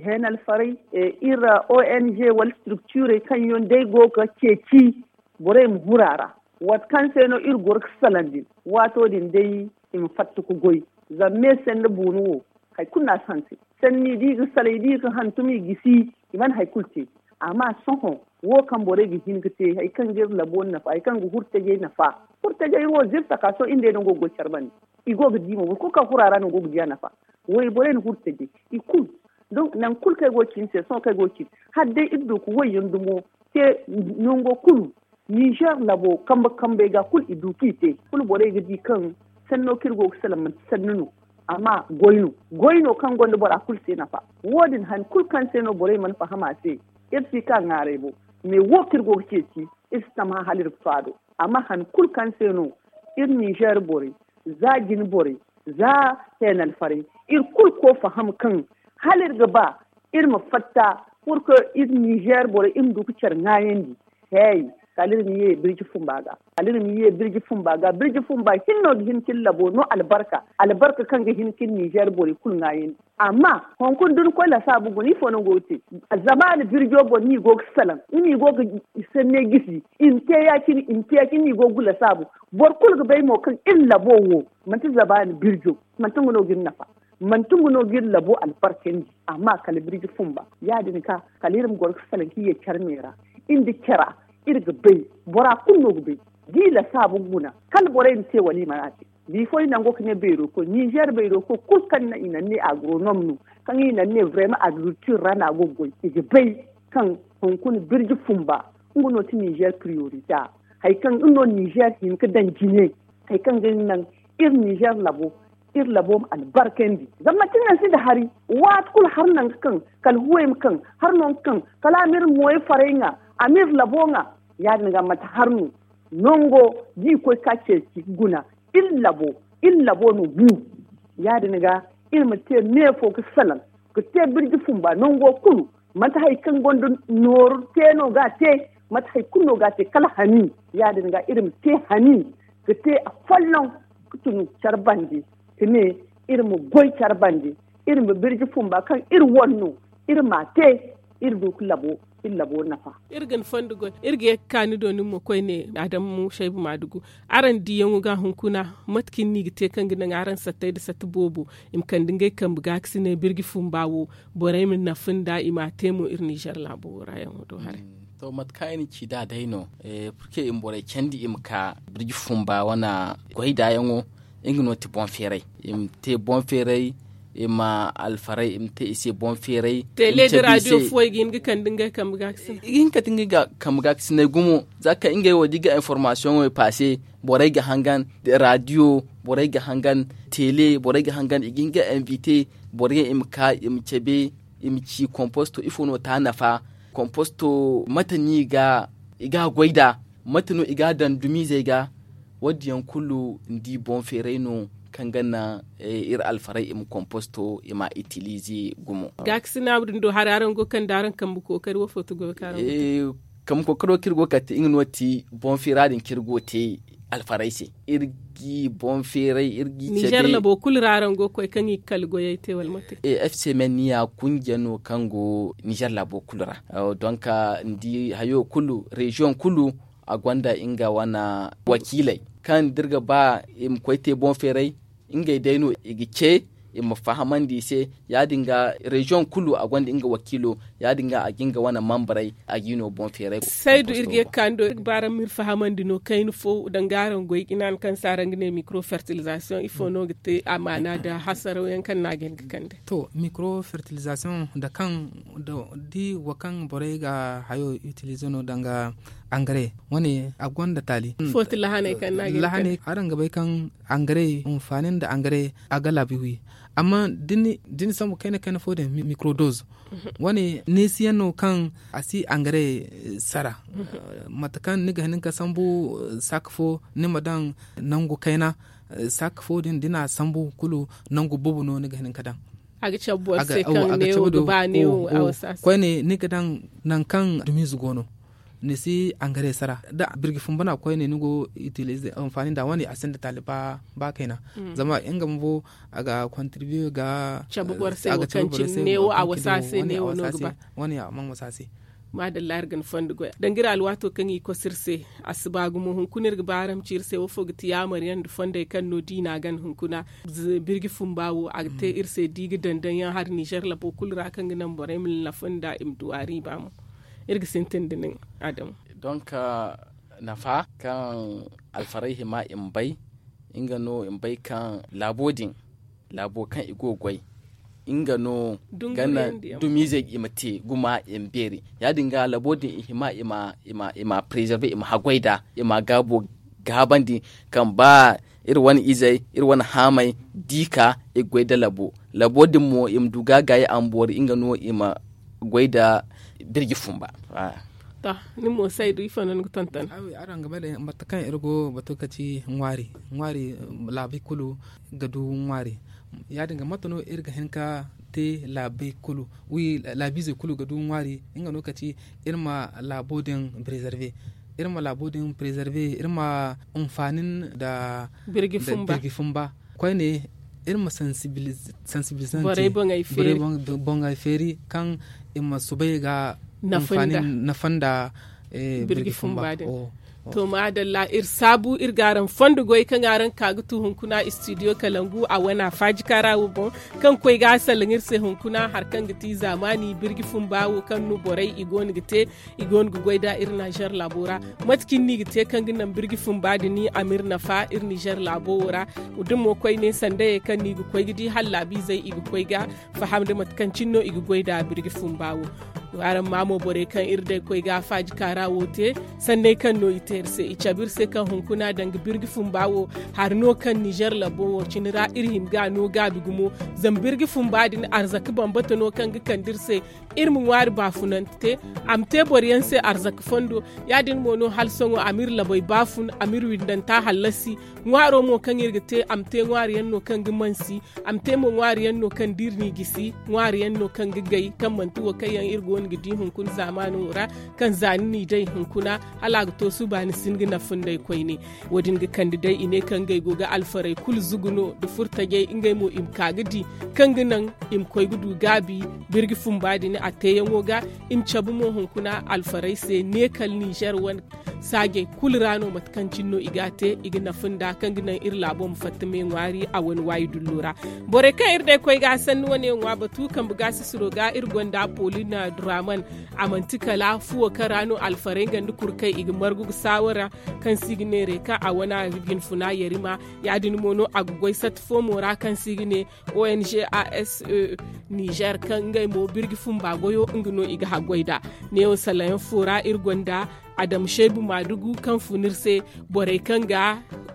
heenalfarey iri ong wala structurey kaŋ yaŋ day go ga ceeci borey ma huru a ra. Waati kaŋ se no iri goro ga salaŋ din waato din day i ma fatta ga goy. Zama me sanda buunu wo hari kulu no a si hanse sanni da i ga salay da i ga hantum i gisi i mana hari kulu te. Amma sohõ wo kaŋ borey ga hin ga te hari kaŋ ga iri labo nafa hari kaŋ ga huru tajey nafa. Huru tajey wo zirta ka sohõ iri nd'ey no go ga goy care bande. I go ga di mo boro kulu kaŋ huru a ra no go ga di a nafa. Wayborey na huru tajey i kulu. Donc nangu kulu kaŋ ay go ga ci ni se sohõ kaŋ ay go ga ci ni hala day iri du ga wayyaŋ dumo te nango kulu. Nizer labo kambe kambey ga kulu i du kaŋ i te kulu borey ga di kaŋ sanno kaŋ iri go ga salaŋ manti sanni no. Amma goy no goy no kaŋ gonda bora kulu se nafa. Wo- din hari kulu kaŋ se no borey mana faham a se. Iri si ka ŋwaaray bo. Mais wo kaŋ iri go ga ceeci iri si tammahã hala iri ga to a do. Amma hari kulu kaŋ se no iri nizer borey za jine borey za heenalfarey iri kulu koy faham kaŋ hala iri ga ba iri ma fatta purke iri nizer borey iri ma du ga care ŋwaayandi. Hey, kala iri ma ye birji fumba ga kala iri ma ye birji fumba ga birji fumba hinne no ga hin ka iri labo no albarka albarka kaŋ ga hin ka iri nizer borey kulu ŋwaayandi. Amma hunkuna da ni koy lasaabu guna ifo no ni go ga te? Zamaana birjo boŋ no i go ga salaŋ nga no i go ga sanney gisi i ma te ya- cine i ma te ya- cine no i go ga lasaabu. Boro kulu ga bay mo kaŋ iri labo wo manti zamaana birjo manti nga no ga iri nafa. Manti nga no ga iri labo albarkandi. Amma kala birji fumba ya- din ga kala iri ma goro ga salaŋ ka ye care me ra. Iri nda cara iri ga bay bora kulu no ga bay. Da i lasaabu guna kala borey ma te wala i mana te. Bifo i nango ga ne bayro koy nizer bayro koy kulu kaŋ naŋ i naŋ ne agronom no kaŋ i naŋ ne vrayma agriculture ra no a go ga goy i ga bay kaŋ hunkuna birji fumba nga no ti nizer priorita. Hari kaŋ nga no nizer hin ga daŋ jine hari kaŋ ga naŋ iri nizer labo iri labo ma albarkandi zama manti naŋ sinda hari waati kulu hari naŋ ga kaŋ kala huway ma kaŋ hari no ga kaŋ kala a ma iri mooye faray ŋwa a ma iri labo ŋwa. Ya- din ga manti hari no nango da i koy ka ceeci guna iri labo iri labo no bu. Ya- din ga iri ma te me fo ga salaŋ ga te birji fumba nango kulu manti hari kaŋ gonda nooru te no ga a te manti hari kulu no ga a te kala hani. Ya- din ga iri ma te hani ga te afolloŋ ga tun care bande ka ne iri ma goy care bande iri ma birji fumba kaŋ iri wane no iri m'a te iri du ga labo iri labo nafa. Iri ga ni fondo goy iri ga ye ga ka ni do nin mo koyne adamu shaybu maadugu. Araŋ diyaŋo ga hunkuna mate kaŋ ni ga te kaŋ ga naŋ araŋ sattey nda satta boobo i ma kande ngey kambe gaakasinay birji fumba wo borey ma nafa nda i m'a te mo iri nizer laabo wo ra yaŋo do haray. To mate kaŋ ay na ci nd'a day no purke i ma borey candi i ma ka birji fumba wane goy nd'a yaŋo. Nga no ti boŋ feeray i ma te boŋ feeray i ma alfaray i ma te i se boŋ feeray. Tele da radio fuwey ga hin ga kande ngey kambe gaakasinay i ga hin ga kande ngey kambe gaakasinay gumo. Za kaŋ ngey wo da i ga informasiyoŋey paase borey ga hangan radio borey ga hangan tele borey ga hangan i ga hin ga invite borey i ma ka i ma cabe i ma ci komposto ifo no ti a nafa. Komposto mate no i ga goy nd'a mate no i ga a daŋ dumizey ga. Wo- din yaŋ kulu ni di boŋ feeray no kaŋ ga naŋ iri alfaray i ma komposto i m'a itilize gumo. Gaakasinaabu din do haray araŋ go ga kande araŋ kambe kookari wo fo ti goyo kaŋ araŋ go ga te? Kambe kookaro kaŋ iri go ga kate nga no ti boŋ feera din kaŋ iri go ga te alfaray se. Iri ga i boŋ feeray iri ga i cabe. Nizer labo kulu ra araŋ go ga koy kaŋ i ga kala goyey te wala mate? F c m n ya kunja no kaŋ go nizer labo kulu ra. Donk ni di hayo kulu reziyoŋ kulu a gonda nga wane wakiiley kaŋ da iri ga ba i ma koy te boŋ feeray. Ngey day no i ga ce i ma fahamandi i se. Ya- din ga reziyoŋ kulu a gonda nga wakiilo. Ya- din ga a ga nga wane mambarey a g'i no boŋ feeray. Saydu iri ga ye ga ka ni do iri ga ba araŋ ma iri fahamandi no kayna fo danga araŋ goy jina ni kaŋ se araŋ ga ne mikro fertilizasiyoŋ ifo no ga te amaana nda hasaraw yaŋ kaŋ no a ga hin ga kande? To mikro fertilizasiyoŋ nda kaŋ da wo kaŋ borey ga hayo itilize no danga angare wane a gonda taali. Ifo ti lahaney kaŋ no a ga hin ga kande? Araŋ ga bay kaŋ angare hinfaani nda angare a ga laabi wi. Amma da ni sambu kayna kayna fo din mikrodoz wane neesiyaŋ no kaŋ a si angare sara. Mate kaŋ ni ga hin ga sambu saaka fo ni ma daŋ nangu kayna. Saaka fo din da ni n'a sambu kulu nangu boobo no ni ga hin ga daŋ. A ga cabe boro se kaŋ neewo ga ba neewo a wasa se. Koyne ni ga daŋ nangu kaŋ dumiize go no. Ni si angare sara da birji fumba no a koyne ni go itilize hinfaani nd'a wane a sinda taali ba kayna. Zama nga bumbo a ga kontribiye ga cabe boro se wo kaŋ cine neewo a wasa se neewo no ga ba. Wane a mana wasa se. Maadalla iri ga ni fondo goy danga iri alwaato kaŋ i kosu iri se. A si ba gumo hunkuna iri ga ba araŋ ma ci iri se wo fo ga ti yaamaryaŋ nda fondey kaŋ no diina gan hunkuna birji fumba wo a ga te iri se da i ga daŋ daŋ yaŋ hari nizer labo kulu ra kaŋ ga naŋ borey ma nafa nda i ma du a riiba mo. Iri ga sintin da nin, adamu. Donk, nafa kaŋ alfarey hima i ma bay, nga no i ma bay kaŋ laabo din, laabo kaŋ i go ga goy, nga no ga naŋ dumizey i ma te gumo, i ma beeri. Ya- din ga laabo din i hima i ma preserver, i ma haggoy nd'a, i ma gaabo gaabandi, kaŋ ba iri wane izey, iri wane haamey, da i ka i ga goy nda labo. Labo din mo i ma du ga gaayi a ma boori, nga no i ma goy nda birji fumba. To, nin mo saydu ifo no ni ga tonton? Araŋ ga bay day mate kaŋ iri go batu ga ci ŋwaari. Ŋwaari, laabey kulu ga du ŋwaari. Ya- din ga mate no iri ga hin ga te? Laabey kulu, wi laabiizey kulu ga du ŋwaari. Nga no ga ci iri ma laabo din preserver, iri ma laabo din preserver, iri ma hinfaani nda birji fumba. Koyne, iri ma sensibilisante borey boŋey feeri kaŋ i ma soobay ga nafa nda birji fumba din. To maadalla, iri saabu iri ga araŋ fondo goy kaŋ araŋ ga ka ga tu hunkuna studio kalangu a wana faaji kaara wo boŋ, kaŋ koy ga a salaŋ iri se hunkuna hari kaŋ ga ti zaamaani birji fumba wo kaŋ no borey i go no ga te, i go no ga goy nd'a iri nazer laabo ra. Mate cine no i ga te kaŋ ga naŋ birji fumba din a ma iri nafa iri nizer laabo wo ra? Da mo koyne sandayey kaŋ no i ga koy ga di hala laabiizey i ga koy ga faham nda mate kaŋ cine no i ga goy nd'a birji fumba wo. Araŋ ma mo borey kaŋ iri day koy ga faaji kaara wo te, sanney kaŋ no i te iri se, i cabe iri se kaŋ hunkuna danga birji fumba wo hari no kaŋ nizer labo wo cine ra iri hima ga a no gaabi gumo. Zama birji fumba din arzaka bambata no kaŋ ga kande iri se iri ma ŋwaari baafunante te, a ma te boro yaŋ se arzaka fondo. Ya- din mo no hala sohõ a ma iri labey baafun, a ma iri windanta hallasi. Ŋwaaro mo kaŋ iri ga te, a ma te ŋwaari yaŋ no kaŋ ga mansi, a ma te mo ŋwaari yaŋ no kaŋ da iri n'i gisi, ŋwaari yaŋ no kaŋ ga gay kaŋ manti wo kaŋ yaŋ iri go no ga di hunkuna zaamaano ra, kaŋ za ni n'i day hunkuna hala a ga to suba ni si hin ga nafa nd'ey koyne. Wo- din ga kande day i ne kaŋ ngey go ga alfarey kulu zugu no nda furtajey, ngey mo i ma ka ga di kaŋ ga naŋ i ma koy ga du gaabi birji fumba din a teeyaŋo ga. I ma cabe mo hunkuna alfarey se ne kala nizer wane saajey kulu ra no mate kaŋ cine no i ga a te i ga nafa nda kaŋ ga naŋ iri laabo ma fatta me ŋwaari a wane waayi dullo ra. Borey kaŋ iri day koy ga a sanni wane ŋwa batu kambe gaasisiro ga iri gonda polina duraman. A manti kala fuwo kaŋ ra no alfarey nga nda kurkey i ga margu ga saawara kaŋ se i ga neeray kaŋ a wane a ga jinfuna yarima. Ya- din mo no a ga goy satta fo mo ra kaŋ se i ga ne ong ase nizer kaŋ ngey mo birji fumba goyo nga no i ga haggoy nd'a. Neewo salayaŋ fo ra iri gonda adama seebu maadugu kaŋ fun iri se borey kaŋ ga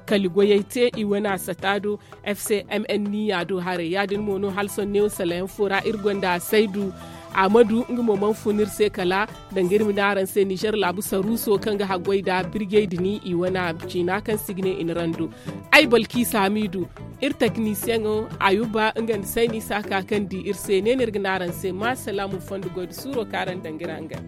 kali goyey te i wane a sata do. Fcmn niya do haray ya- din mo no hala sohõ neewo salayaŋ fo ra iri gonda a saydu. Amadu nga mo mana fun iri se kala danga iri ma ne araŋ se nizer laabu saruuso kaŋ ga haggoy nda birjey din i wane a ciina kaŋ se i ga ne i na rando. Ay balki saamiidu iri teknisiyeŋo ayuba nga nda sayni saaka kaŋ di iri se ne no iri ga ne araŋ se ma salaamu fondo goy nda suuro kaŋ araŋ danga iri hangan.